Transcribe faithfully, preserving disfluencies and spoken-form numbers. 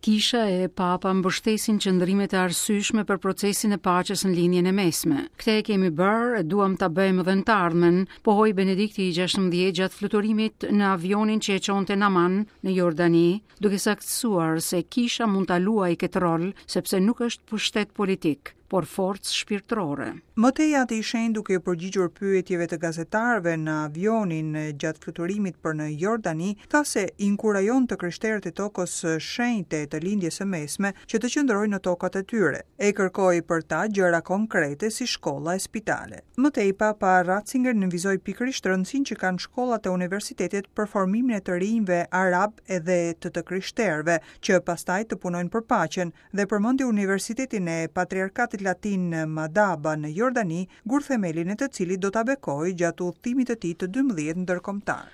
Kisha e Papa mbështesin qëndrimet e arsyeshme për procesin e paqes në Lindjen e Mesme. Këtë e kemi bërë e duam ta bëjmë edhe në të ardhmen, pohoi Benedikti i gjashtëmbëdhjetë gjatë fluturimit në avionin që e çonte në Aman në Jordani, duke saktësuar se kisha mund ta luajë këtë rol sepse nuk është pushtet politik, por forcë shpirtërore. Më tej Ati i Shenjtë, duke iu përgjigjur pyetjeve të gazetarëve në avionin gjatë fluturimit për në Jordani, tha se inkurajon të krishterët e tokës shenjte të Lindjes së Mesme që të qëndrojnë në tokat e tyre, e kërkoi për ta gjëra konkrete si shkolla e spitale. Më tej Papa Ratzinger nënvizoi pikërisht rëndësinë që kanë shkollat e universitetet për formimin e të rinjve arab edhe të të krishterëve, që pastaj të punojnë për paqen, dhe përmendi Universitetin e Patriarkatit Latin në Madaba në Jordani, gurthemelin e të cilit do ta bekojë gjatë udhëtimit të tij të dymbëdhjetë ndërkombëtar.